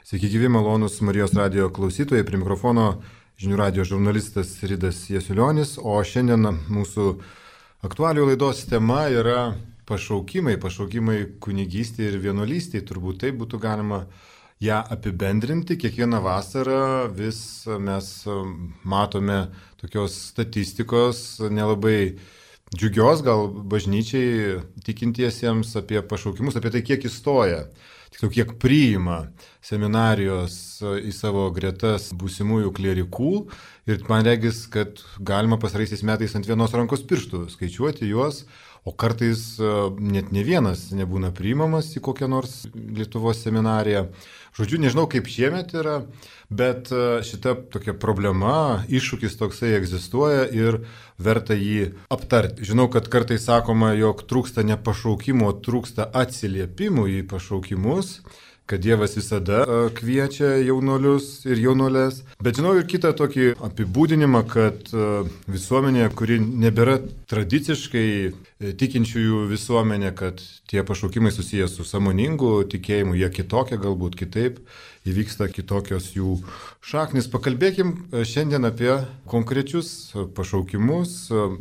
Sveiki gyvi, malonus Marijos radijo klausytojai, prie mikrofono žinių radijo žurnalistas Ridas Jasiulionis, o šiandien mūsų aktualių laidos tema yra pašaukimai kunigystėje ir vienuolystėje, turbūt taip būtų galima ją apibendrinti. Kiekvieną vasarą vis mes matome tokios statistikos nelabai džiugios, gal bažnyčiai tikintiesiems apie pašaukimus, apie tai, kiek įstoja. Tiksliau, kiek priima seminarijos į savo gretas būsimųjų klierikų ir man regis, kad galima pastaraisiais metais ant vienos rankos pirštų skaičiuoti juos, o kartais net ne vienas nebūna priimamas į kokią nors Lietuvos seminariją. Žodžiu, nežinau kaip šiemet yra, bet šita tokia problema, iššūkis toksai egzistuoja ir verta jį aptarti. Žinau, kad kartais sakoma, jog trūksta ne pašaukimo, trūksta atsiliepimų į pašaukimus, kad Dievas visada kviečia jaunuolius ir jaunuolės. Bet žinau ir kitą tokį apibūdinimą, kad visuomenė, kuri nebėra tradiciškai tikinčiųjų visuomenė, kad tie pašaukimai susijęs su sąmoningu tikėjimu, jie kitokie, galbūt kitaip, įvyksta kitokios jų šaknis. Pakalbėkim šiandien apie konkrečius pašaukimus.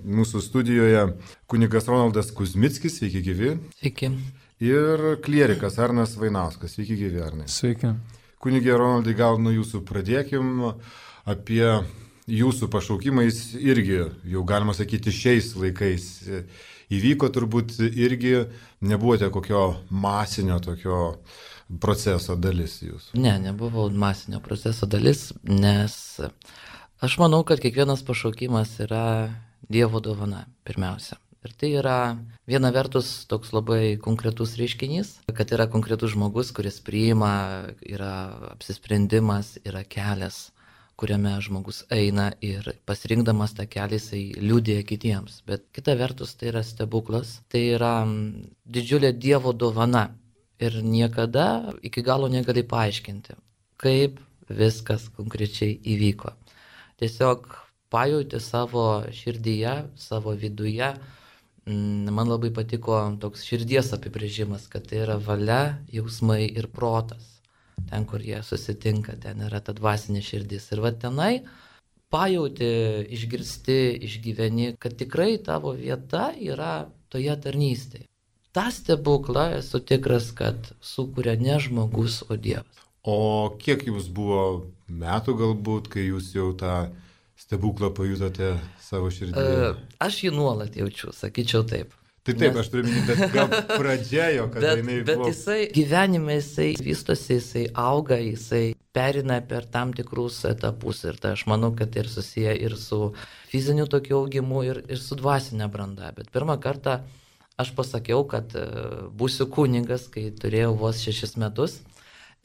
Mūsų studijoje kunigas Ronaldas Kuzmickis, sveiki gyvi. Sveiki. Ir klierikas Arnas Vainauskas. Sveiki gyvi, Arnai. Sveiki. Kunigė Ronaldai, gal nuo jūsų pradėkim apie jūsų pašaukimais irgi, jau galima sakyti, šiais laikais įvyko turbūt irgi, nebuvote kokio masinio tokio proceso dalis jūs. Ne, nebuvau masinio proceso dalis, nes aš manau, kad kiekvienas pašaukimas yra Dievo dovana pirmiausia. Ir tai yra viena vertus toks labai konkretus reiškinys, kad yra konkretus žmogus, kuris priima, yra apsisprendimas, yra kelias, kuriame žmogus eina ir pasirinkdamas tą kelią jisai liudija kitiems. Bet kita vertus tai yra stebuklas, tai yra didžiulė Dievo dovana ir niekada iki galo negali paaiškinti, kaip viskas konkrečiai įvyko. Tiesiog pajauti savo širdyje, savo viduje. Man labai patiko toks širdies apibrėžimas, kad tai yra valia, jausmai ir protas. Ten, kur jie susitinka, ten yra ta dvasinė širdis. Ir va tenai pajauti, išgirsti, išgyveni, kad tikrai tavo vieta yra toje tarnystėje. Ta stebuklą esu tikras, kad sukuria ne žmogus, o Dievas. O kiek jums buvo metų galbūt, kai jūs jau tą stebuklą pajutote savo širdyje? Aš jį nuolat jaučiu, sakyčiau taip. Taip, aš turiu minėti, bet gal pradžiojo, kada jinai buvo. Bet jisai gyvenime, jisai vystosi, jisai auga, jisai perina per tam tikrus etapus. Ir tai aš manau, kad ir susiję ir su fiziniu tokiu augimu, ir su dvasinė branda. Bet pirmą kartą aš pasakiau, kad būsiu kunigas, kai turėjau vos 6 metus.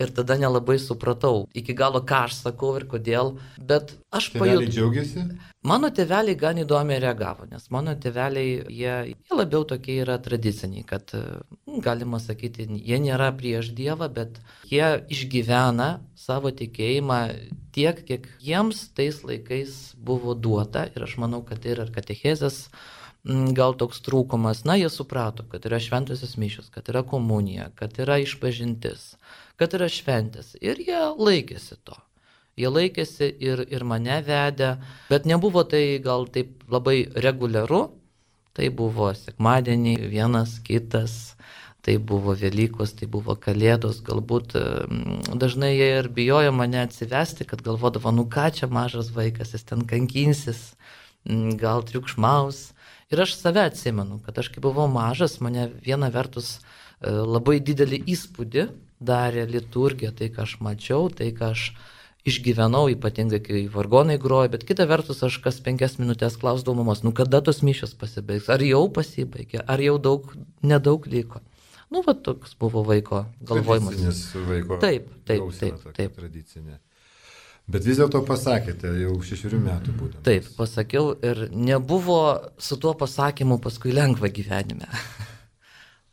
Ir tada nelabai supratau iki galo, ką aš sakau ir kodėl, bet aš pajutau. Tėveliai džiaugiasi? Mano tėveliai gan įdomiai reagavo, nes mano tėveliai, jie labiau tokie yra tradiciniai, kad, galima sakyti, jie nėra prieš Dievą, bet jie išgyvena savo tikėjimą tiek, kiek jiems tais laikais buvo duota. Ir aš manau, kad tai yra katechezės gal toks trūkumas. Na, jie suprato, kad yra šventosios mišios, kad yra komunija, kad yra išpažintis, kad yra šventės. Ir jie laikėsi to. Jie laikėsi ir mane vedė, bet nebuvo tai gal taip labai reguliaru. Tai buvo sekmadienį vienas, kitas, tai buvo Velykos, tai buvo Kalėdos. Galbūt dažnai jie ir bijojo mane atsivesti, kad galvodavo, nu ką čia mažas vaikas, jis ten kankinsis, gal triukšmaus. Ir aš save atsimenu, kad aš kai buvau mažas, mane viena vertus labai didelį įspūdį darė liturgija, tai ką aš mačiau, tai ką aš išgyvenau, ypatingai kai vargonai grojo, bet kita vertus aš kas 5 minutės klausdavau mamos, nu kada tos mišios pasibaigs, ar jau pasibaigė, ar jau nedaug liko. Nu, va toks buvo vaiko galvojimas. Tradicinis vaiko. Taip. Tradicinė. Bet vis dėlto pasakėte, jau 6 metų būtent. Taip, pasakiau ir nebuvo su tuo pasakymu paskui lengva gyvenime.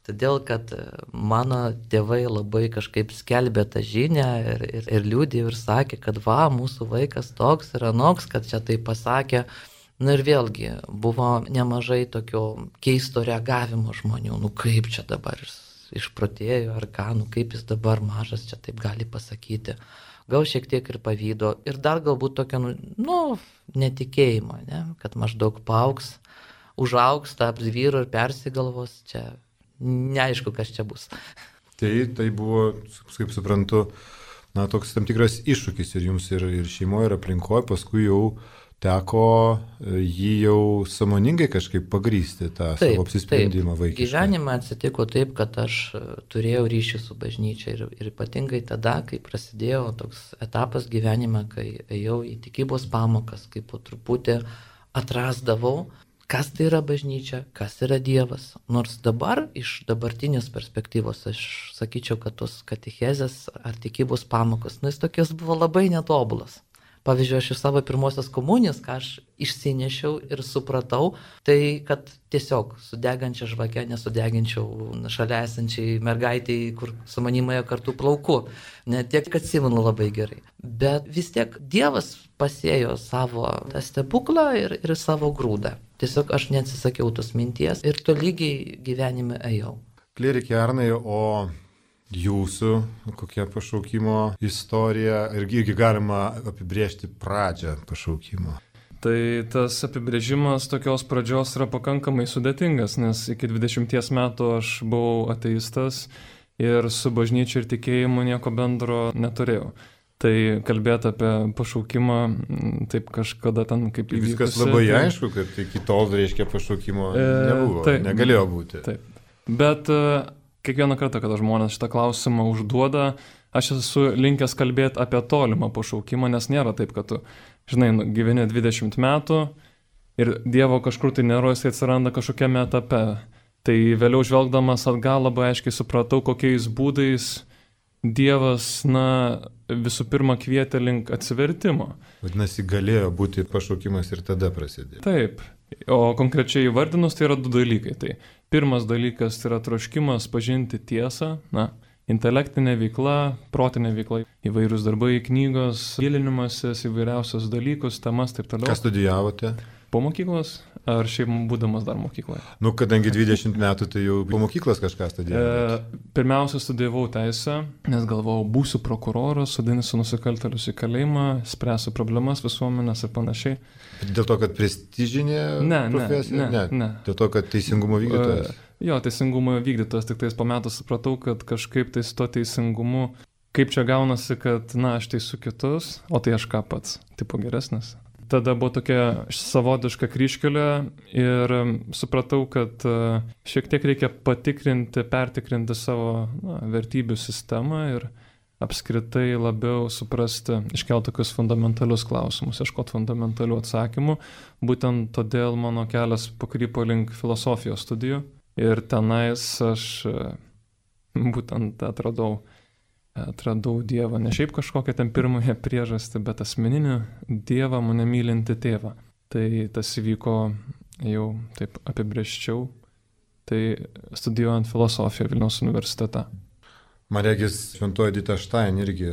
Todėl, kad mano tėvai labai kažkaip skelbė tą žinią ir liudė ir sakė, kad va, mūsų vaikas toks ir anoks, kad čia tai pasakė. Na ir vėlgi buvo nemažai tokio keisto reagavimo žmonių, nu kaip čia dabar išprotėjo ar ką, kaip jis dabar mažas čia taip gali pasakyti. Gal šiek tiek ir pavydo ir dar galbūt tokio, netikėjimo, ne? Kad maždaug paaugs, užaugs, taps vyru ir persigalvos, čia neaišku, kas čia bus. Tai buvo, kaip suprantu, toks tam tikras iššūkis ir jums, ir šeimoje, ir aplinkoje, paskui jau teko jį jau sąmoningai kažkaip pagrysti tą savo apsisprendimą vaikiškai. Gyvenime atsitiko taip, kad aš turėjau ryšį su bažnyčia ir ypatingai tada, kai prasidėjo toks etapas gyvenime, kai ėjau į tikybos pamokas, kai po truputį atrasdavau, kas tai yra bažnyčia, kas yra Dievas. Nors dabar, iš dabartinės perspektyvos, aš sakyčiau, kad tos katechezės ar tikybos pamokos, jis tokios buvo labai netobulas. Pavyzdžiui, aš iš savo pirmosios komunijos, ką aš išsinešiau ir supratau, tai kad tiesiog su degančia žvake nesudeginčiau šalia esančiai mergaitei, kur su manimąją kartu plauku. Ne tiek, kad atsimenu labai gerai. Bet vis tiek Dievas pasėjo savo tą stebuklą ir savo grūdą. Tiesiog aš neatsisakiau tos minties ir tolygiai gyvenime ėjau. Klierikė Arnai, o jūsų kokia pašaukimo istorija irgi galima apibrėžti pradžią pašaukimo? Tai tas apibrėžimas tokios pradžios yra pakankamai sudėtingas, nes iki 20 metų aš buvau ateistas ir su bažnyčia ir tikėjimu nieko bendro neturėjau. Tai kalbėti apie pašaukimą, taip kažkada ten kaip įvykusi. Viskas labai aišku, kad iki tol, reiškia, pašaukimo nebuvo, negalėjo būti. Taip, bet kiekvieną kartą, kada žmonės šitą klausimą užduoda, aš esu linkęs kalbėti apie tolimą pašaukimą, nes nėra taip, kad tu, gyveni 20 metų ir Dievo kažkur tai nėra, jis atsiranda kažkokiame etape. Tai vėliau žvelgdamas atgal labai aiškiai supratau, kokiais būdais Dievas, visų pirma kvietė link atsivertimo. Vadinasi, galėjo būti pašaukimas ir tada prasidėjo. Taip. O konkrečiai įvardinus, tai yra 2 dalykai. Tai pirmas dalykas yra troškimas pažinti tiesą, intelektinė veikla, protinė veikla, įvairūs darbai, knygos, gilinimasis, įvairiausios dalykus, temas, taip toliau. Ką studijavote? Po mokyklos ar šiaip būdamas dar mokykloje? Kadangi 20 metų, tai jau po mokyklos kažką studijavote. Pirmiausia, studijavau teisę, nes galvojau, būsiu prokuroras, sudinsiu nusikaltėlius į kalėjimą, spręsiu problemas visuomenės ir panašiai. Dėl to, kad prestižinė profesija? Ne. Dėl to, kad teisingumo vykdytojas? Jo, teisingumo vykdytojas, tik tais po metų supratau, kad kažkaip tai su to teisingumu, kaip čia gaunasi, kad, aš teisiu kitus, o tai aš ką pats, tipo geresnis. Tada buvo tokia savotiška kryžkelė ir supratau, kad šiek tiek reikia pertikrinti savo vertybių sistemą ir apskritai labiau suprasti, iškelti tokius fundamentalius klausimus, ieškoti fundamentalių atsakymų. Būtent todėl mano kelias pakrypo link filosofijos studijų ir tenais aš būtent atradau Dievą, ne šiaip kažkokią ten pirmąją priežastį, bet asmeninį Dievą, mane mylinti tėvą. Tai tas įvyko jau taip apibrėžčiau, tai studijuojant filosofiją Vilniaus universitete. Man regis, šventoji Edita Stein irgi,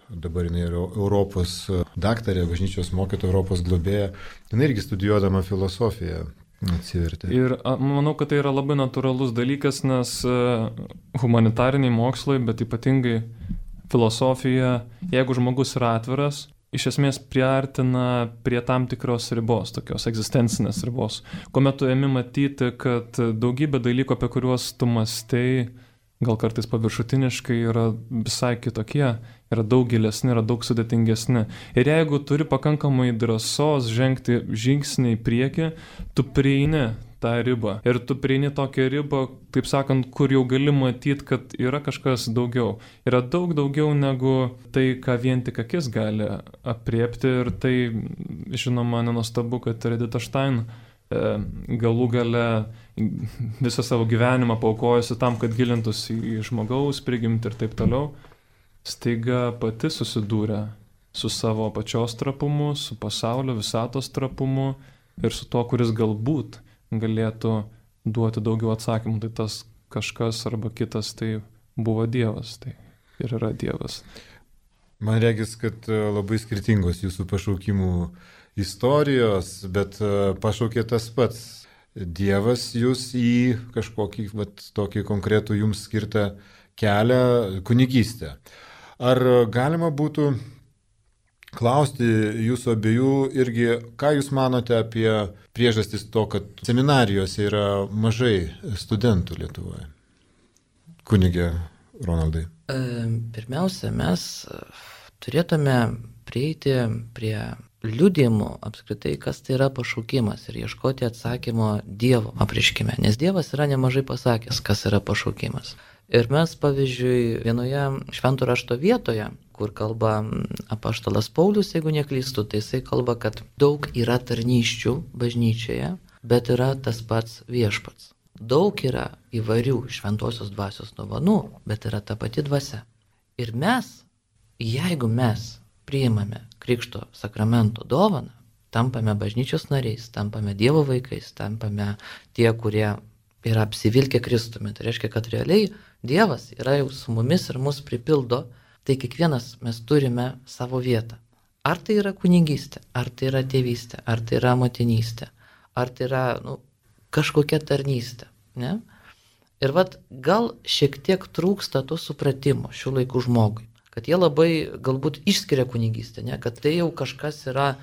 dabar jinai yra Europos daktarė, bažnyčios mokytoja, Europos globėja, jinai irgi studijuodama filosofiją atsivertė. Ir manau, kad tai yra labai natūralus dalykas, nes humanitariniai mokslai, bet ypatingai filosofija, jeigu žmogus yra atviras, iš esmės priartina prie tam tikros ribos, tokios egzistencinės ribos, kuomet tu ėmi matyti, kad daugybė dalykų, apie kuriuos tu mąstei, gal kartais paviršutiniškai, yra visai kitokie, yra daug gilesni, yra daug sudėtingesni. Ir jeigu turi pakankamai drąsos žengti žingsnį į priekį, tu prieini tą ribą. Ir tu prieini tokią ribą, taip sakant, kur jau gali matyti, kad yra kažkas daugiau. Yra daug daugiau negu tai, ką vien tik akis gali apriepti. Ir tai, žinoma, nenuostabu, kad Edita Stein galų gale visą savo gyvenimą paaukojusi tam, kad gilintųsi į žmogaus prigimtį ir taip toliau, staiga pati susidūrė su savo pačios trapumu, su pasaulio visatos trapumu ir su to, kuris galbūt galėtų duoti daugiau atsakymų. Tai tas kažkas arba kitas tai buvo Dievas, tai ir yra Dievas. Man regis, kad labai skirtingos jūsų pašaukimų istorijos, bet pašaukė tas pats. Dievas jūs į kažkokį tokį konkretų jums skirtą kelią kunigystę. Ar galima būtų klausti jūsų abiejų irgi, ką jūs manote apie priežastis to, kad seminarijose yra mažai studentų Lietuvoje? Kunigė Ronaldai. Pirmiausia, mes turėtume prieiti prie liudijimų apskritai, kas tai yra pašaukimas ir ieškoti atsakymo Dievo apreiškime, nes Dievas yra nemažai pasakęs, kas yra pašaukimas. Ir mes, pavyzdžiui, vienoje švento rašto vietoje, kur kalba apaštalas Paulius, jeigu neklystu, tai jisai kalba, kad daug yra tarnysčių bažnyčioje, bet yra tas pats viešpats. Daug yra įvairių šventosios dvasios dovanų, bet yra ta pati dvasia. Ir mes, jeigu mes priimame Krikšto sakramento dovaną, tampame bažnyčios nariais, tampame Dievo vaikais, tampame tie, kurie yra apsivilkę Kristumi. Tai reiškia, kad realiai Dievas yra jau su mumis ir mus pripildo, tai kiekvienas mes turime savo vietą. Ar tai yra kunigystė, ar tai yra tėvystė, ar tai yra motinystė, ar tai yra kažkokia tarnystė. Ne? Ir gal šiek tiek trūksta to supratimo šių laikų žmogui, kad jie labai galbūt išskiria kunigystę, ne? Kad tai jau kažkas yra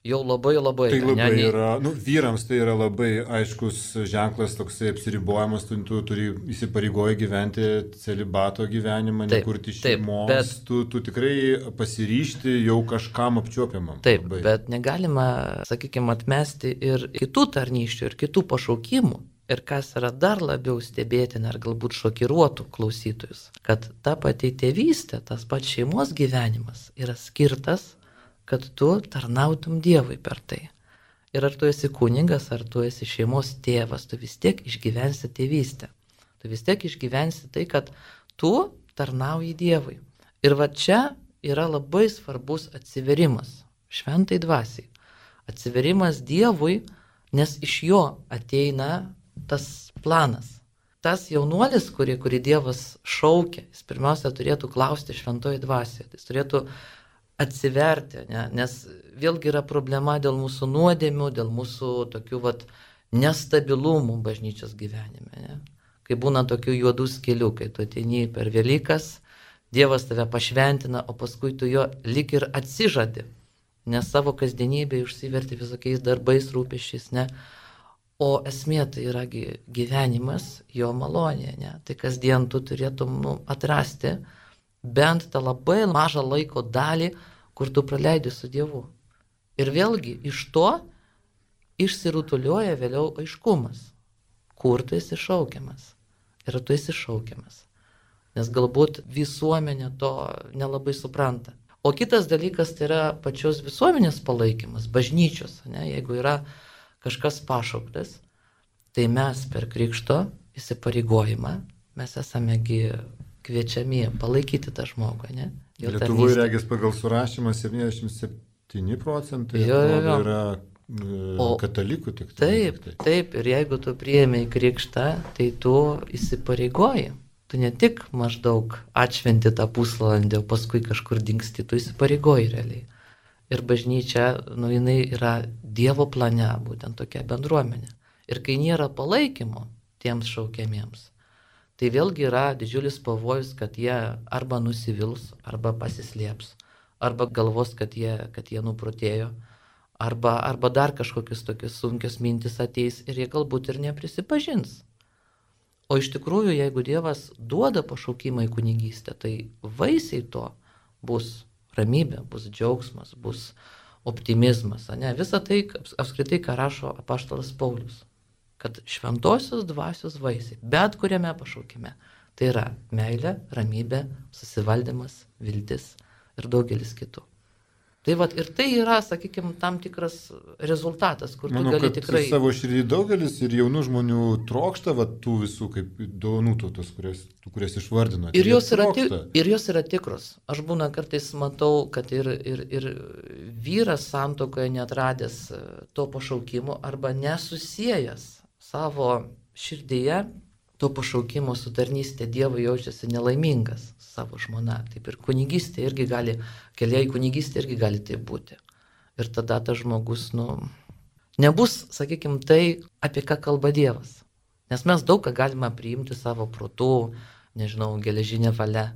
jau labai. Tai labai yra, vyrams tai yra labai aiškus ženklas, toksai apsiribojimas, tu turi įsipareigoję gyventi celibato gyvenimą, nekurti šeimos, bet tu tikrai pasiryžti jau kažkam apčiuopiamam. Taip, labai. Bet negalima, sakykime, atmesti ir kitų tarnysčių, ir kitų pašaukimų. Ir kas yra dar labiau stebėtina, ar galbūt šokiruotų klausytojus, kad ta pati tėvystė, tas pats šeimos gyvenimas yra skirtas, kad tu tarnautum Dievui per tai. Ir ar tu esi kunigas, ar tu esi šeimos tėvas, tu vis tiek išgyvensi tėvystę. Tu vis tiek išgyvensi tai, kad tu tarnauji Dievui. Ir čia yra labai svarbus atsiverimas šventai dvasiai. Atsiverimas Dievui, nes iš jo ateina tas planas. Tas jaunuolis, kurį Dievas šaukia, jis pirmiausia turėtų klausti šventoji dvasioje. Jis turėtų atsiverti, ne? Nes vėlgi yra problema dėl mūsų nuodėmių, dėl mūsų tokių nestabilumų bažnyčios gyvenime. Ne? Kai būna tokių juodų skelių, kai tu ateini per Velykas, Dievas tave pašventina, o paskui tu jo lyg ir atsižadi, nes savo kasdienybėje užsiverti visokiais darbais, rūpesčiais, ne? O esmė tai yra gyvenimas, jo malonė, ne? Tai kasdien tu turėtum atrasti bent tą labai mažą laiko dalį, kur tu praleidi su Dievu. Ir vėlgi iš to išsirutulioja vėliau aiškumas, kur tu esi šaukiamas ir tu esi šaukiamas. Nes galbūt visuomenė to nelabai supranta. O kitas dalykas tai yra pačios visuomenės palaikymas, bažnyčios, ne? Jeigu yra kažkas pašauktas, tai mes per krikšto įsipareigojimą, mes esamegi kviečiami palaikyti tą žmogų. Ne? Lietuvoje regis pagal surašymą 77% yra katalikų tik. Taip, ir jeigu tu priėmei krikštą, tai tu įsipareigoji. Tu ne tik maždaug atšventi tą pusvalandį, o paskui kažkur dingsti, tu įsipareigoji realiai. Ir bažnyčia, jinai yra Dievo plane, būtent tokia bendruomenė. Ir kai nėra palaikymo tiems šaukiamiems, tai vėlgi yra didžiulis pavojus, kad jie arba nusivils, arba pasislėps, arba galvos, kad jie nuprotėjo, arba dar kažkokius tokius sunkius mintis ateis ir jie galbūt ir neprisipažins. O iš tikrųjų, jeigu Dievas duoda pašaukimą į kunigystę, tai vaisiai to bus ramybė, bus džiaugsmas, bus optimizmas. Ne? Visa tai apskritai, ką rašo apaštalas Paulius, kad šventosios dvasios vaisiai, bet kuriame pašaukime, tai yra meilė, ramybė, susivaldymas, viltis ir daugelis kitų. Tai ir tai yra, sakykime, tam tikras rezultatas, kur tu gali tikrai... Savo širdį daugelis ir jaunų žmonių trokšta tų visų kaip dovanų tos, kurias išvardino. Ir jos yra tikros. Aš būna kartais matau, kad ir vyras santuokoje netradęs to pašaukimo arba nesusijęs savo širdyje to pašaukimo su tarnystė Dievui jaučiasi nelaimingas savo žmona. Taip ir kunigystė irgi gali, keliai kunigystė irgi gali taip būti. Ir tada tas žmogus, nebus, sakykime, tai, apie ką kalba Dievas. Nes mes daug ką galime priimti savo protu, nežinau, geležinė valia,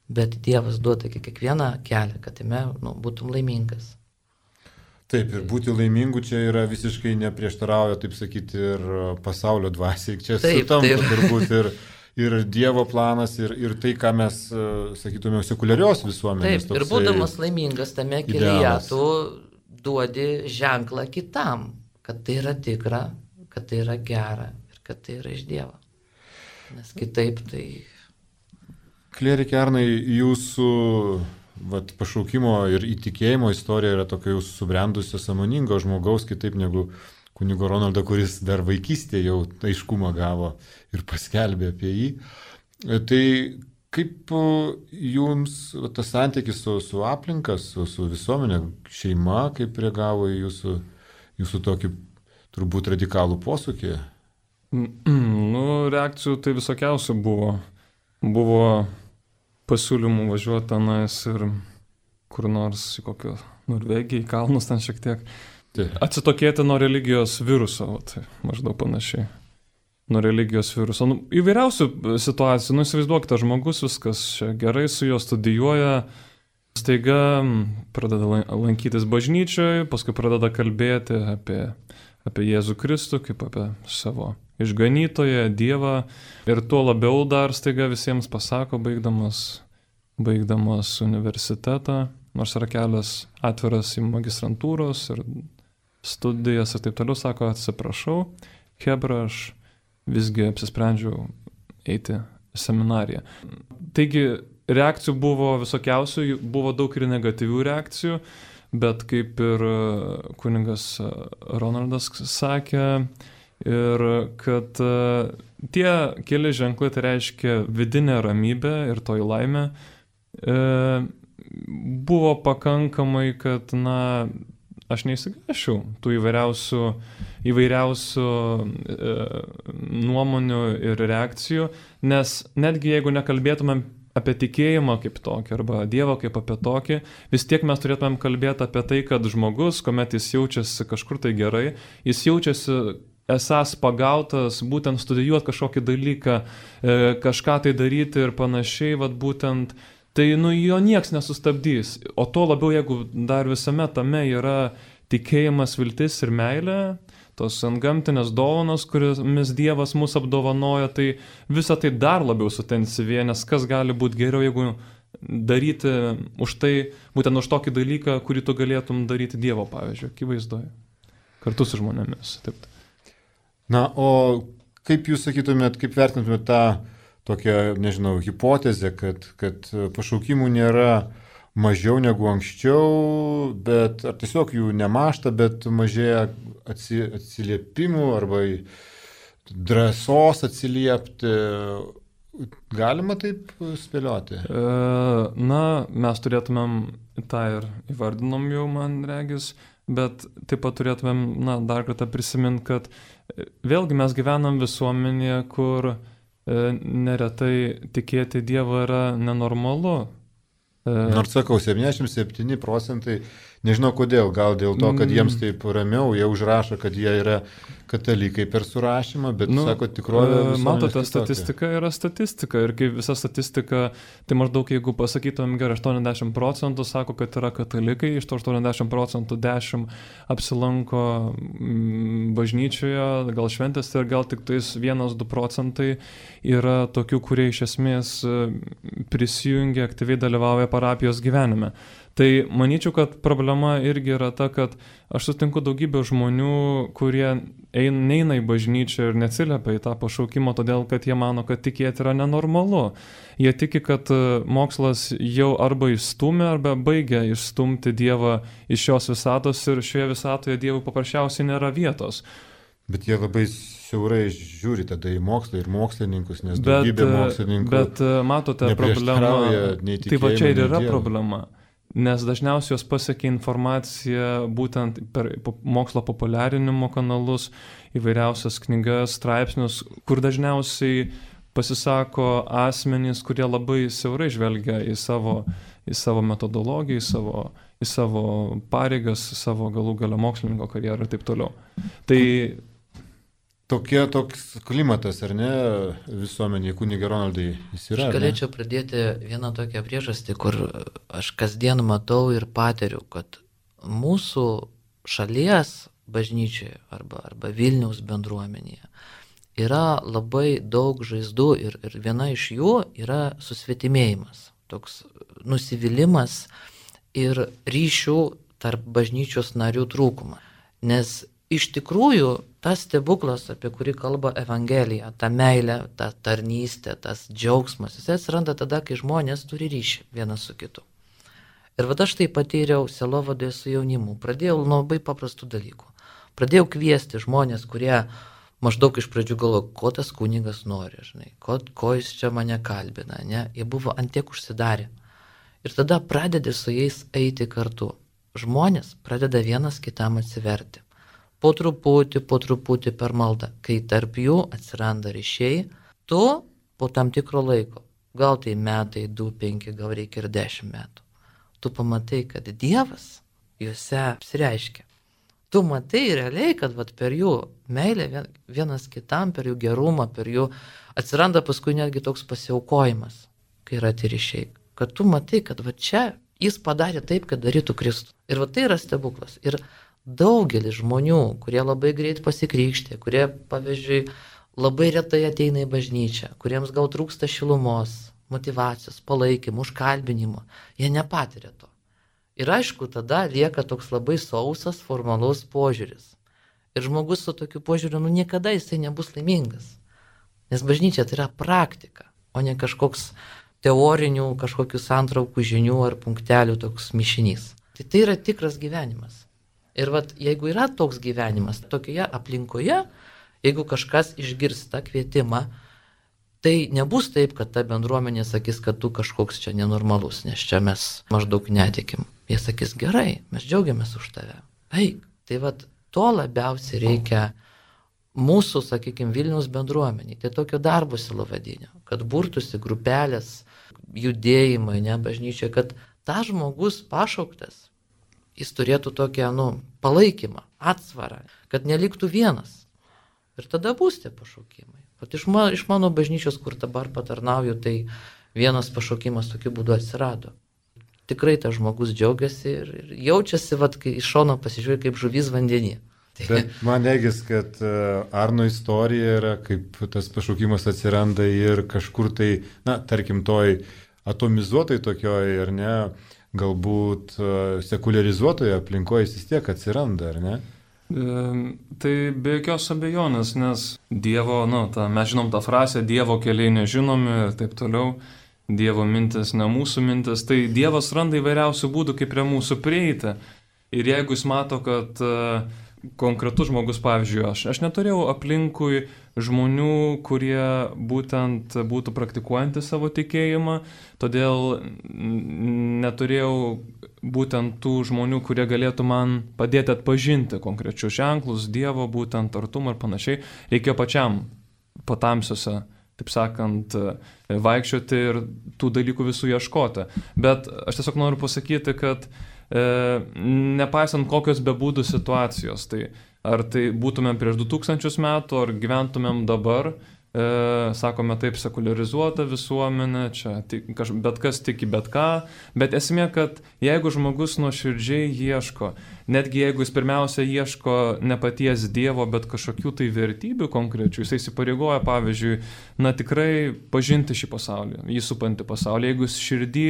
bet Dievas duoda kiekvieną kelią, kad jame būtum laimingas. Taip, ir būti laimingu čia yra visiškai neprieštarauja, taip sakyti, ir pasaulio dvasiai. Čia sutampa turbūt ir Dievo planas, ir tai, ką mes, sakytume, sekuliarios visuomenės. Taip, ir būdamas laimingas tame kelyje, tu duodi ženklą kitam, kad tai yra tikra, kad tai yra gera ir kad tai yra iš Dievo. Nes kitaip tai... Klierike Arnai, jūsų pašaukimo ir įtikėjimo istorija yra tokia jūsų subrendusio sąmoningo žmogaus, kitaip negu kunigo Ronaldo, kuris dar vaikystėje jau aiškumą gavo ir paskelbė apie jį. Tai kaip jums tas santykis su aplinka, su visuomenė, šeima, kaip reagavo į jūsų tokį turbūt radikalų posūkį? Reakcijų tai visokiausių buvo. Buvo pasiūlymų važiuoti tenais ir kur nors į kokią Norvegiją, į kalnus ten šiek tiek. Atsitokėti nuo religijos viruso, tai maždaug panašiai. Nuo religijos viruso. Įvairiausių situacijų. Įsivaizduokite, žmogus viskas čia gerai su juo studijuoja, staiga pradeda lankytis bažnyčioje, paskui pradeda kalbėti apie Jėzų Kristų, kaip apie savo išganytoją, Dievą. Ir tuo labiau dar staiga visiems pasako, baigdamas universitetą, nors yra kelias atviras į magistrantūros ir studijas ir taip toliau, sako, atsiprašau, chebra, aš visgi apsisprendžiau eiti į seminariją. Taigi reakcijų buvo visokiausių, buvo daug ir negatyvių reakcijų, bet kaip ir kunigas Ronaldas sakė, ir kad tie keli ženklai, tai reiškia vidinė ramybė ir toji laimė, buvo pakankamai, kad, aš neįsigašiau tų įvairiausių nuomonių ir reakcijų, nes netgi jeigu nekalbėtumėm apie tikėjimą kaip tokį arba Dievą kaip apie tokį, vis tiek mes turėtumėm kalbėti apie tai, kad žmogus, kuomet jis jaučiasi kažkur tai gerai, jis jaučiasi esas pagautas būtent studijuoti kažkokį dalyką, kažką tai daryti ir panašiai, būtent, tai jo nieks nesustabdys. O to labiau, jeigu dar visame tame yra tikėjimas, viltis ir meilė, tos antgamtinės dovanos, kuriamis Dievas mus apdovanoja, tai visą tai dar labiau sutensyvėja, nes kas gali būti geriau, jeigu daryti už tai, būtent už tokį dalyką, kurį tu galėtum daryti Dievo, pavyzdžiui, akivaizdoje, kartu su žmonėmis. Taip. O kaip jūs sakytumėt, kaip vertintumėt tą tokią, nežinau, hipotezę, kad pašaukimų nėra mažiau negu anksčiau, bet ar tiesiog jų nemažta, bet mažėja atsiliepimų arba drąsos atsiliepti. Galima taip spėlioti? Mes turėtumėm tą ir įvardinom jau, man regis, bet taip pat turėtumėm, dar kartą prisiminti, kad vėlgi mes gyvenam visuomenėje, kur neretai tikėti Dievą yra nenormalu. Nors sakau, 77%, nežinau kodėl, gal dėl to, kad jiems taip ramiau, jie užrašo, kad jie yra katalikai per surašymą, bet sako, tikrovė visuomenės. Matote, statistika yra statistika ir kaip visa statistika, tai maždaug jeigu pasakytumėm gerai, 80% sako, kad yra katalikai, iš to 80% 10 apsilanko bažnyčioje, gal šventėse ir gal tik tais 1-2% yra tokių, kurie iš esmės prisijungia, aktyviai dalyvauja parapijos gyvenime. Tai manyčiau, kad problema irgi yra ta, kad aš sutinku daugybę žmonių, kurie neina į bažnyčią ir neatsiliepia į tą pašaukimą, todėl kad jie mano, kad tikėti yra nenormalu. Jie tiki, kad mokslas jau arba išstumia, arba baigia išstumti Dievą iš šios visatos ir šioje visatoje Dievui paprasčiausiai nėra vietos. Bet jie labai siaurai žiūri tada į mokslą ir mokslininkus, nes daugybė mokslininkų matote problemą. Tai va čia ir yra problema. Nes dažniausiai jos pasiekia informaciją būtent per mokslo populiarinimo kanalus, įvairiausias knygas, straipsnius, kur dažniausiai pasisako asmenys, kurie labai siaurai žvelgia į savo į savo metodologiją, į savo pareigas, į savo galų gale mokslininko karjerą ir taip toliau. Tai toks klimatas, ar ne, visuomenėje, kunige Ronaldai, jis yra? Aš galėčiau pradėti vieną tokią priežastį, kur aš kasdien matau ir patiriu, kad mūsų šalies bažnyčioje arba Vilniaus bendruomenėje yra labai daug žaizdų ir viena iš jų yra susvetimėjimas, toks nusivylimas ir ryšių tarp bažnyčios narių trūkumą. Nes iš tikrųjų tas stebuklas, apie kurį kalba Evangelija, ta meilė, ta tarnystė, tas džiaugsmas, jis atsiranda tada, kai žmonės turi ryšį vienas su kitu. Ir aš tai patyriau sielovadoje su jaunimu. Pradėjau nuo labai paprastų dalykų. Pradėjau kviesti žmonės, kurie maždaug iš pradžių galvojo, ko tas kunigas nori, žinai, ko jis čia mane kalbina, ne? Jie buvo antiek užsidarę. Ir tada pradedi su jais eiti kartu. Žmonės pradeda vienas kitam atsiverti. Po truputį per maldą. Kai tarp jų atsiranda ryšiai, tu po tam tikro laiko, gal tai metai, 2, 5, gal reikia ir 10 metų, tu pamatai, kad Dievas juose apsireiškia. Tu matai realiai, kad per jų meilę vienas kitam, per jų gerumą, per jų atsiranda paskui netgi toks pasiaukojimas, kai yra tie ryšiai. Kad tu matai, kad čia jis padarė taip, kad darytų Kristų. Ir tai yra stebuklas. Ir daugelis žmonių, kurie labai greit pasikrikštė, kurie, pavyzdžiui, labai retai ateina į bažnyčią, kuriems gal trūksta šilumos, motyvacijos, palaikymo, užkalbinimo, jie nepatiria to. Ir aišku, tada lieka toks labai sausas, formalus požiūris. Ir žmogus su tokiu požiūriu, niekada jisai nebus laimingas. Nes bažnyčia tai yra praktika, o ne kažkoks teorinių, kažkokių santraukų žinių ar punktelių toks mišinys. Tai yra tikras gyvenimas. Ir jeigu yra toks gyvenimas, tokioje aplinkoje, jeigu kažkas išgirs tą kvietimą, tai nebus taip, kad ta bendruomenė sakys, kad tu kažkoks čia nenormalus, nes čia mes maždaug netikim. Jie sakys, gerai, mes džiaugiamės už tave. Eik. Tai to labiausiai reikia mūsų, sakykime, Vilniaus bendruomeniai. Tai tokio darbo silovadinio, kad burtųsi grupelės, judėjimai, bažnyčia, kad tas žmogus pašauktas, jis turėtų tokią, palaikymą, atsvarą, kad neliktų vienas. Ir tada bus tie pašaukimai. Iš mano bažnyčios, kur dabar patarnauju, tai vienas pašaukimas tokiu būdu atsirado. Tikrai tas žmogus džiaugiasi ir jaučiasi, kai iš šono pasižiūrė kaip žuvis vandenį. Bet man regis, kad Arno istorija yra, kaip tas pašaukimas atsiranda ir kažkur tai, tarkim, toj atomizuotai tokioj, ar ne, galbūt sekularizuotoje aplinkoje jis vis tiek atsiranda, ar ne? Tai be jokios abejonės, nes Dievo, mes žinom tą frazę, Dievo keliai nežinomi ir taip toliau, Dievo mintis ne mūsų mintis, tai Dievas randa įvairiausių būdų, kaip prie mūsų prieiti. Ir jeigu jis mato, kad konkretus žmogus, pavyzdžiui, aš neturėjau aplinkui žmonių, kurie būtent būtų praktikuojantys savo tikėjimą, todėl neturėjau būtent tų žmonių, kurie galėtų man padėti atpažinti konkrečius ženklus, Dievo būtent artumą ir panašiai. Reikėjo pačiam patamsiuose, taip sakant, vaikščioti ir tų dalykų visų ieškoti. Bet aš tiesiog noriu pasakyti, kad nepaisant kokios bebūtų situacijos, tai ar tai būtumėm prieš 2000 metų, ar gyventumėm dabar, sakome taip, sekularizuota visuomenė, čia bet kas tiki bet ką, bet esmė, kad jeigu žmogus nuoširdžiai ieško, netgi jeigu jis pirmiausia ieško ne paties Dievo, bet kažkokių tai vertybių konkrečių, jis įsipareigoja, pavyzdžiui, tikrai pažinti šį pasaulį, jį supantį pasaulį, jeigu jis širdį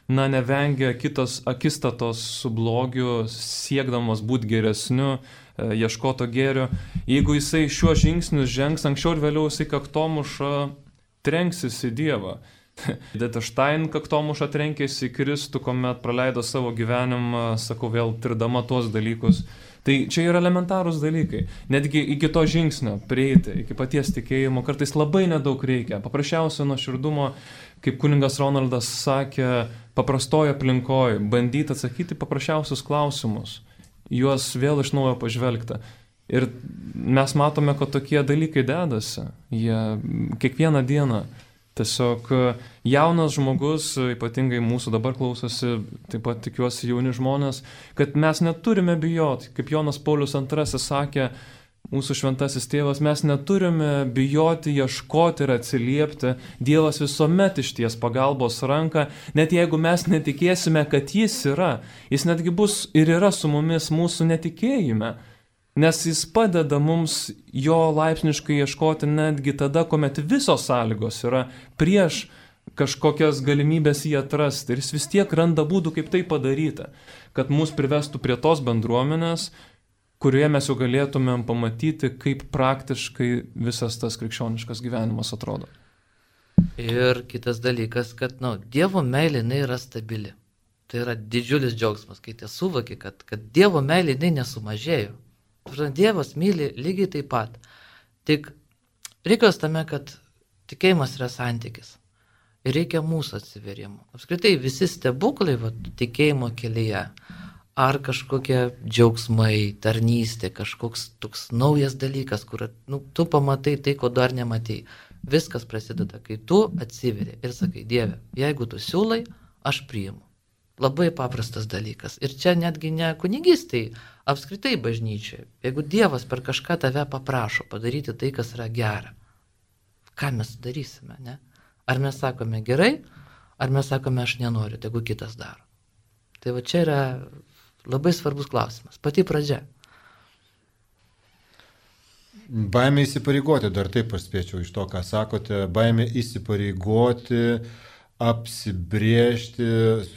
nevengia kitos akistatos su blogiu, siekdamas būti geresniu, ieškoto gėrio. Jeigu jisai šiuo žingsniu žengs, anksčiau ir vėliau jisai kaktomuša trenksis į Dievą. Edita Stein kaktomuša trenkėsi į Kristų, kuomet praleido savo gyvenimą, sakau vėl, tirdama tuos dalykus. Tai čia yra elementarūs dalykai. Netgi iki to žingsnio prieiti, iki paties tikėjimo, kartais labai nedaug reikia. Paprasčiausio nuoširdumo, kaip kunigas Ronaldas sakė, paprastoje aplinkoje, bandyti atsakyti paprasčiausius klausimus, juos vėl iš naujo pažvelgti. Ir mes matome, kad tokie dalykai dedasi. Jie kiekvieną dieną Tiesiog jaunas žmogus, ypatingai mūsų dabar klausosi, taip pat tikiuosi jauni žmonės, kad mes neturime bijoti, kaip Jonas Paulius II sakė, mūsų šventasis tėvas, mes neturime bijoti, ieškoti ir atsiliepti. Dievas visuomet išties pagalbos ranką, net jeigu mes netikėsime, kad jis yra. Jis netgi bus ir yra su mumis mūsų netikėjime. Nes jis padeda mums jo laipsniškai ieškoti netgi tada, kuomet visos sąlygos yra prieš kažkokias galimybės jį atrasti. Ir jis vis tiek randa būdų, kaip tai padaryti, kad mus privestų prie tos bendruomenės, kurioje mes jau galėtumėm pamatyti, kaip praktiškai visas tas krikščioniškas gyvenimas atrodo. Ir kitas dalykas, kad Dievo meilė jinai yra stabili. Tai yra didžiulis džiaugsmas, kai tie suvoki, kad Dievo meilė jinai nesumažėjo. Dievas myli lygiai taip pat. Tik reikalas tame, kad tikėjimas yra santykis. Ir reikia mūsų atsiverimo. Apskritai visi stebuklai tikėjimo kelyje, ar kažkokie džiaugsmai, tarnystė, kažkoks toks naujas dalykas, kur tu pamatai tai, ko dar nematei. Viskas prasideda, kai tu atsiveri ir sakai, Dieve, jeigu tu siūlai, aš priimu. Labai paprastas dalykas. Ir čia netgi ne kunigystai, apskritai bažnyčiai. Jeigu Dievas per kažką tave paprašo padaryti tai, kas yra gera, ką mes darysime, ne? Ar mes sakome gerai, ar mes sakome aš nenoriu, tegu kitas daro. Tai čia yra labai svarbus klausimas. Pati pradžia. Baimė įsipareigoti, dar taip aš spėčiau iš to, ką sakote, baimė įsipareigoti, apsibrėžti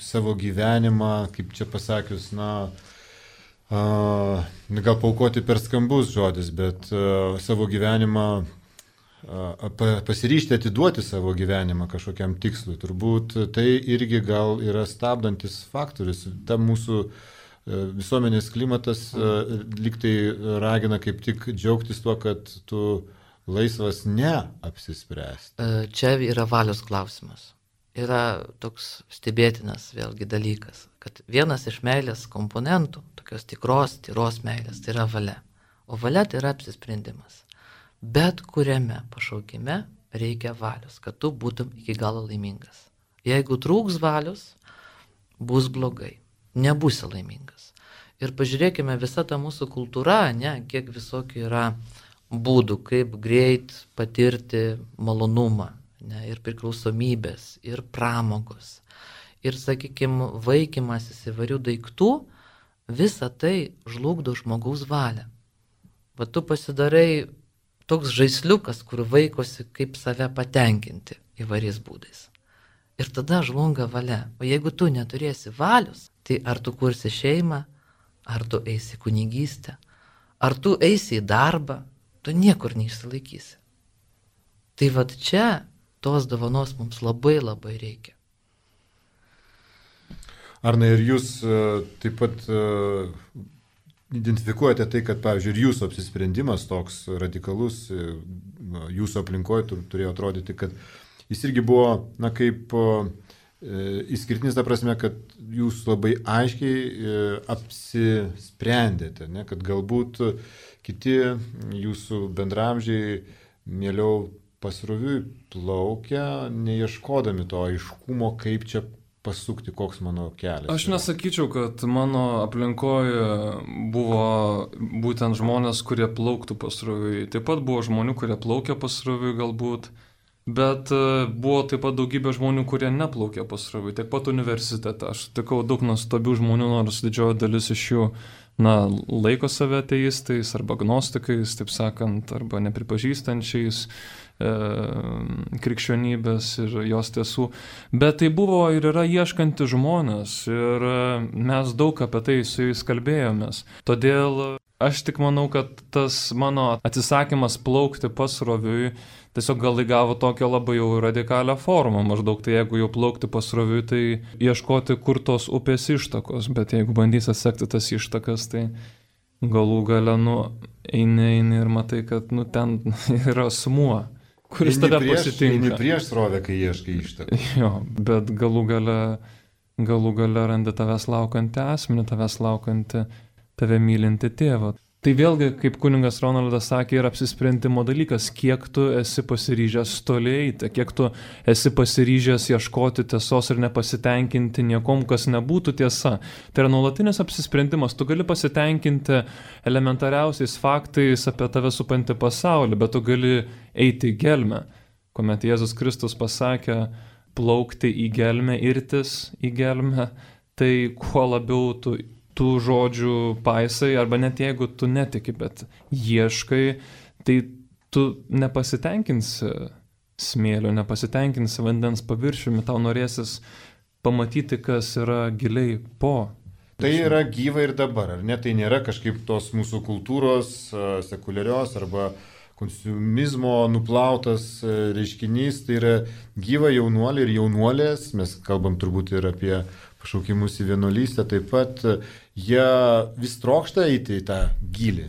savo gyvenimą, kaip čia pasakius, gal paaukoti per skambus žodis, bet savo gyvenimą, pasiryžti atiduoti savo gyvenimą kažkokiam tikslui. Turbūt tai irgi gal yra stabdantis faktorius. Ta mūsų visuomenės klimatas lygtai ragina kaip tik džiaugtis tuo, kad tu laisvas neapsispręsti. Čia yra valios klausimas. Yra toks stebėtinas vėlgi dalykas, kad vienas iš meilės komponentų, tokios tyros meilės, tai yra valia. O valia tai yra apsisprendimas. Bet kuriame pašaukime reikia valios, kad tu būtum iki galo laimingas. Jeigu trūks valios, bus blogai, nebūsi laimingas. Ir pažiūrėkime, visa ta mūsų kultūra, kiek visokių yra būdų, kaip greit patirti malonumą. Ir priklausomybės, ir pramogos, ir, sakykime, vaikymasis įvairių daiktų, visa tai žlugdo žmogaus valią. Tu pasidarai toks žaisliukas, kur vaikosi kaip save patenkinti įvairiais būdais. Ir tada žlunga valia. O jeigu tu neturėsi valios, tai ar tu kursi šeimą, ar tu eisi kunigystę, ar tu eisi į darbą, tu niekur neišsilaikysi. Tai čia tos dovanos mums labai labai reikia. Arna, ir jūs taip pat identifikuojate tai, kad, pavyzdžiui, ir jūsų apsisprendimas toks radikalus, jūsų aplinkoje turėjo atrodyti, kad jis irgi buvo, kaip išskirtinis ta prasme, kad jūs labai aiškiai apsisprendėte, kad galbūt kiti jūsų bendramžiai mieliau pasroviui plaukia, neieškodami to aiškumo, kaip čia pasukti, koks mano kelias. Aš nesakyčiau, kad mano aplinkoje buvo būtent žmonės, kurie plauktų pasroviui. Taip pat buvo žmonių, kurie plaukia pasroviui galbūt, bet buvo taip pat daugybė žmonių, kurie neplaukė pasroviui. Taip pat universitete. Aš tikau daug nuostabių žmonių, nors didžioji dalis iš jų laiko save ateistais arba agnostikais, taip sakant, arba nepripažįstančiais krikščionybės ir jos tiesų. Bet tai buvo ir yra ieškanti žmonės ir mes daug apie tai su jais kalbėjomės. Todėl aš tik manau, kad tas mano atsisakymas plaukti pasroviui tiesiog gal įgavo tokią labai jau radikalią formą. Maždaug tai jeigu jau plaukti pasroviui, tai ieškoti, kur tos upės ištakos. Bet jeigu bandysi atsekti tas ištakas, tai galų gale, eini ir matai, kad ten yra asmuo, kuris tave pasitinka. Eini prieš srovę, kai ieškai ištakų. Jo, bet galų gale randi tavęs laukantį asmenį, tavęs laukantį, tave mylinti tėvą. Tai vėlgi, kaip kunigas Ronaldas sakė, yra apsisprendimo dalykas, kiek tu esi pasiryžęs toli eiti, kiek tu esi pasiryžęs ieškoti tiesos ir nepasitenkinti niekom, kas nebūtų tiesa. Tai yra nuolatinis apsisprendimas, tu gali pasitenkinti elementariausiais faktais apie tave supantį pasaulį, bet tu gali eiti į gelmę, kuomet Jėzus Kristus pasakė plaukti į gelmę, irtis į gelmę, tai kuo labiau tu tų žodžių paisai, arba net jeigu tu netiki, bet ieškai, tai tu nepasitenkinsi smėlio, nepasitenkinsi vandens paviršiumi, tau norėsis pamatyti, kas yra giliai po. Tai yra gyva ir dabar, ar ne? Tai nėra kažkaip tos mūsų kultūros, sekuliarios arba konsumizmo nuplautas reiškinys, tai yra gyva jaunuoliai ir jaunuolės, mes kalbam turbūt ir apie pašaukimus į vienuolystę, taip pat jie vis trokšta eiti į tą gilį,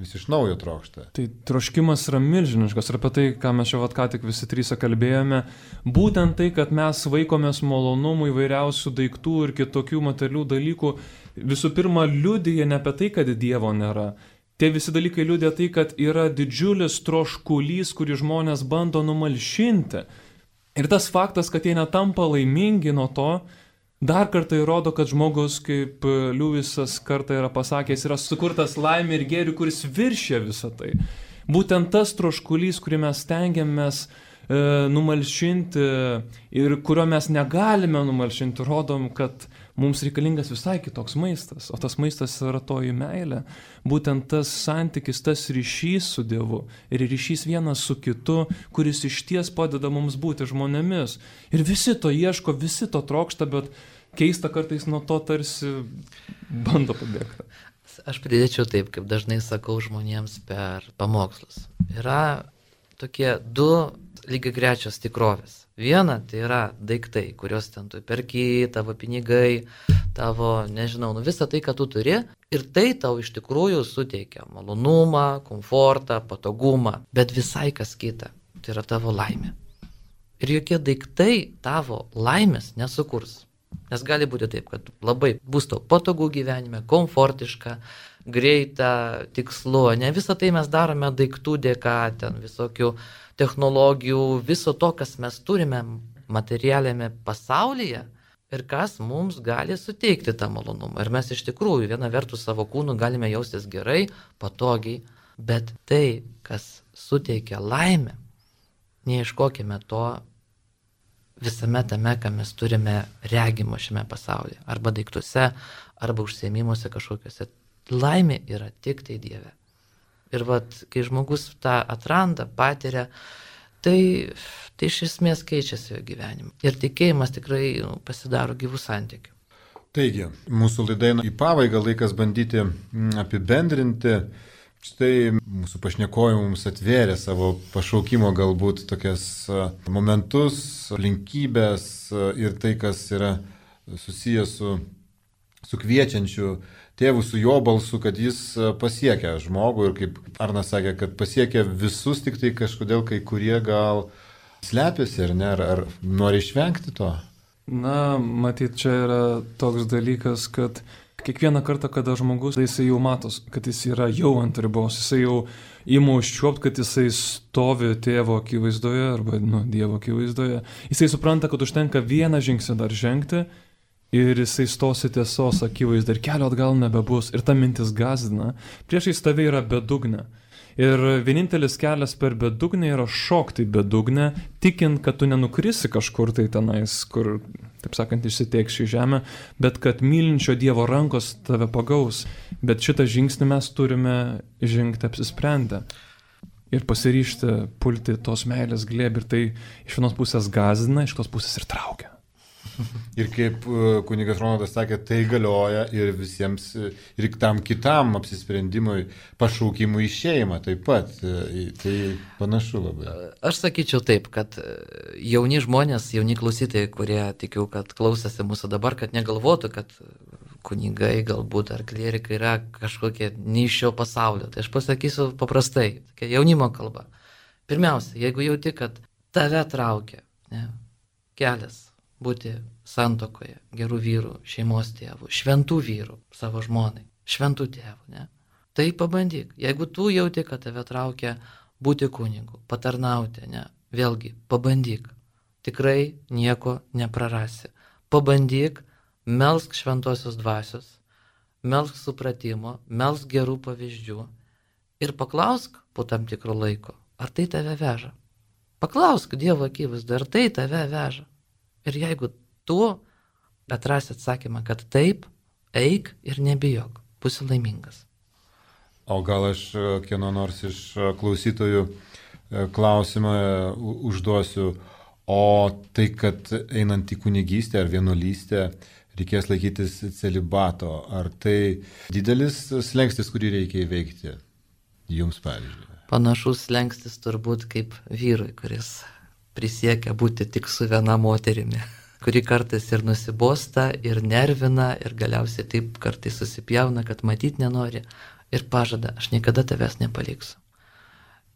vis iš naujo trokšta. Tai troškimas yra milžiniškas ir apie tai, ką mes čia ką tik visi trys kalbėjome, būtent tai, kad mes vaikomės malonumų įvairiausių daiktų ir kitokių materialių dalykų, visų pirma liudija ne apie tai, kad Dievo nėra. Tie visi dalykai liudija tai, kad yra didžiulis troškulys, kurį žmonės bando numalšinti. Ir tas faktas, kad jie netampa laimingi nuo to, dar kartą įrodo, kad žmogus, kaip Liuisas kartą yra pasakęs, yra sukurtas laimė ir gėrių, kuris viršė visą tai. Būtent tas troškulys, kurį mes stengiamės numalšinti ir kurio mes negalime numalšinti, rodom, kad mums reikalingas visai kitoks maistas, o tas maistas yra toji meilė. Būtent tas santykis, tas ryšys su Dievu ir ryšys vienas su kitu, kuris išties padeda mums būti žmonėmis. Ir visi to ieško, visi to trokšta, bet keista kartais nuo to tarsi bando pabėgti. Aš pridėčiau taip, kaip dažnai sakau žmonėms per pamokslus. Yra tokie du lygiagrečios tikrovės. Viena tai yra daiktai, kuriuos ten tu perki, tavo pinigai, tavo, nežinau, visą tai, ką tu turi, ir tai tau iš tikrųjų suteikia malonumą, komfortą, patogumą, bet visai kas kita, tai yra tavo laimė. Ir jokie daiktai tavo laimės nesukurs. Nes gali būti taip, kad labai bus tau patogu gyvenime, komfortiška, greita, tikslu, ne visą tai mes darome daiktų dėka, ten visokių technologijų, viso to, kas mes turime materialiame pasaulyje ir kas mums gali suteikti tą malonumą. Ir mes iš tikrųjų viena vertus savo kūnu galime jaustis gerai, patogiai, bet tai, kas suteikia laimę, neieškokime to visame tame, ką mes turime regimo šiame pasaulyje, arba daiktuose, arba užsiėmimuose kažkokiuose. Laimė yra tik tai Dieve. Ir kai žmogus tą atranda, patiria, tai iš esmės keičiasi jo gyvenimą. Ir tikėjimas tikrai pasidaro gyvų santykių. Taigi, mūsų laida eina į pabaigą, laikas bandyti apibendrinti. Štai mūsų pašnekovai mums atvėrė savo pašaukimo galbūt tokias momentus, aplinkybės ir tai, kas yra susijęs su kviečiančiu tėvu, su jo balsu, kad jis pasiekia žmogų ir kaip Arnas sakė, kad pasiekia visus, tik tai kažkodėl kai kurie gal slepiasi ar ne, ar nori išvengti to. Na, matyt, čia yra toks dalykas, kad kiekvieną kartą, kada žmogus, jisai jau matos, kad jis yra jau ant ribos, jisai jau ima užčiuopti, kad jisai stovi tėvo akivaizdoje arba Dievo akivaizdoje, jisai supranta, kad užtenka vieną žingsnį dar žengti, ir jisai stosi tiesos akivaizdą ir kelio atgal nebebus. Ir ta mintis gąsdina. Priešais tave yra bedugnė. Ir vienintelis kelias per bedugnę yra šokti bedugnę, tikint, kad tu nenukrisi kažkur tai tenais, kur, taip sakant, išsitėks šį žemę, bet kad mylinčio Dievo rankos tave pagaus. Bet šitą žingsnį mes turime žengti apsisprendę. Ir pasiryžti pulti tos meilės glėbį. Ir tai iš vienos pusės gąsdina, iš kitos pusės ir traukia. Ir kaip kunigas Ronaldas sakė, tai galioja ir visiems, ir tam kitam apsisprendimui, pašaukimui į šeimą taip pat. Tai panašu labai. Aš sakyčiau taip, kad jauni žmonės, jauni klausytojai, kurie tikiu, kad klausėsi mūsų dabar, kad negalvotų, kad kunigai galbūt ar klierikai yra kažkokie ne iš šio pasaulio. Tai aš pasakysiu paprastai, jaunimo kalba. Pirmiausia, jeigu jauti, kad tave traukia kelias būti santuokoje, gerų vyrų, šeimos tėvų, šventų vyrų savo žmonai, šventų tėvų, Tai pabandyk. Jeigu tu jauti, kad tave traukia būti kunigu, patarnauti, ne, vėlgi, pabandyk. Tikrai nieko neprarasi. Pabandyk, melsk šventosios dvasios, melsk supratimo, melsk gerų pavyzdžių ir paklausk po tam tikro laiko, ar tai tave veža. Paklausk Dievo akivaizdu, ar tai tave veža. Ir jeigu tu atrasi atsakymą, kad taip, eik ir nebijok, būsi laimingas. O gal aš kieno nors iš klausytojų klausimą užduosiu, o tai, kad einant į kunigystę ar vienuolystę reikės laikytis celibato, ar tai didelis slengstis, kurį reikia įveikti jums, pavyzdžiui? Panašus slengstis turbūt kaip vyrui, kuris prisiekia būti tik su viena moterimi, kuri kartais ir nusibosta, ir nervina, ir galiausiai taip kartais susipjauna, kad matyt nenori, ir pažada, aš niekada tavęs nepaliksiu.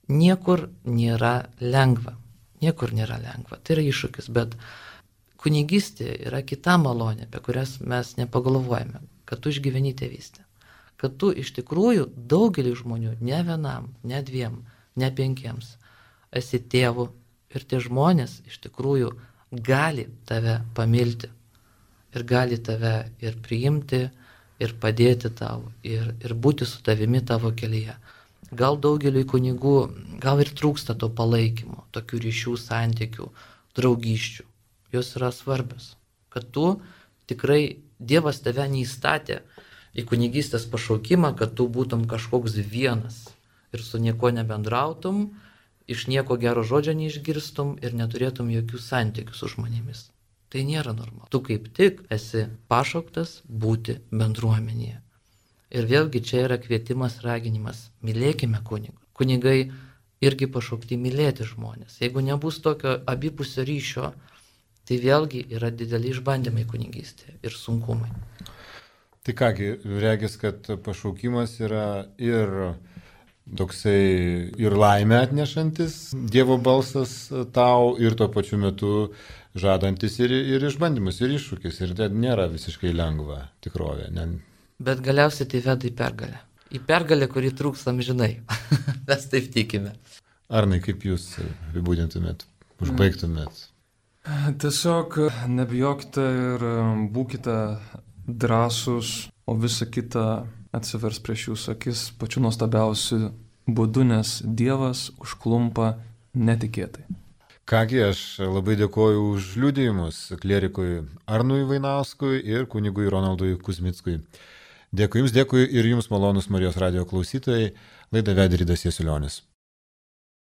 Niekur nėra lengva. Niekur nėra lengva. Tai yra iššūkis, bet kunigystė yra kita malonė, apie kurias mes nepagalvojame, kad tu išgyveni tėvystę. Kad tu iš tikrųjų daugelį žmonių, ne vienam, ne dviem, ne penkiems, esi tėvu ir tie žmonės iš tikrųjų gali tave pamilti ir gali tave ir priimti, ir padėti tau, ir būti su tavimi tavo kelyje. Gal daugeliui kunigų, gal ir trūksta to palaikymo, tokių ryšių, santykių, draugyščių. Jos yra svarbios. Kad tu tikrai, Dievas tave neįstatė į kunigystės pašaukimą, kad tu būtum kažkoks vienas ir su nieko nebendrautum, iš nieko gero žodžio neišgirstum ir neturėtum jokių santykių su žmonėmis. Tai nėra normalu. Tu kaip tik esi pašauktas būti bendruomenėje. Ir vėlgi čia yra kvietimas, raginimas. Mylėkime kunigus. Kunigai irgi pašaukti mylėti žmonės. Jeigu nebus tokio abipusio ryšio, tai vėlgi yra dideli išbandymai kunigystėje ir sunkumai. Tai kągi, regis, kad pašaukimas yra ir toksai ir laimę atnešantis Dievo balsas tau ir tuo pačiu metu žadantis ir išbandymus, ir iššūkis. Ir tai nėra visiškai lengva tikrovė. Bet galiausiai tai veda į pergalę. Į pergalę, kurį trūks amžinai. Mes taip tikime. Arnai, kaip jūs apibūdintumėt, užbaigtumėt? Tiesiog nebijokite ir būkite drąsūs, o visa kita atsivers prieš jūsų akis pačiu nuostabiausiu būdu, nes Dievas užklumpa netikėtai. Kągi, aš labai dėkoju už liudijimus klierikui Arnui Vainauskui ir kunigui Ronaldui Kuzmickui. Dėkui jums, dėkui ir jums, malonus Marijos radijo klausytojai. Laidą vedė Ridas Jasiulionis.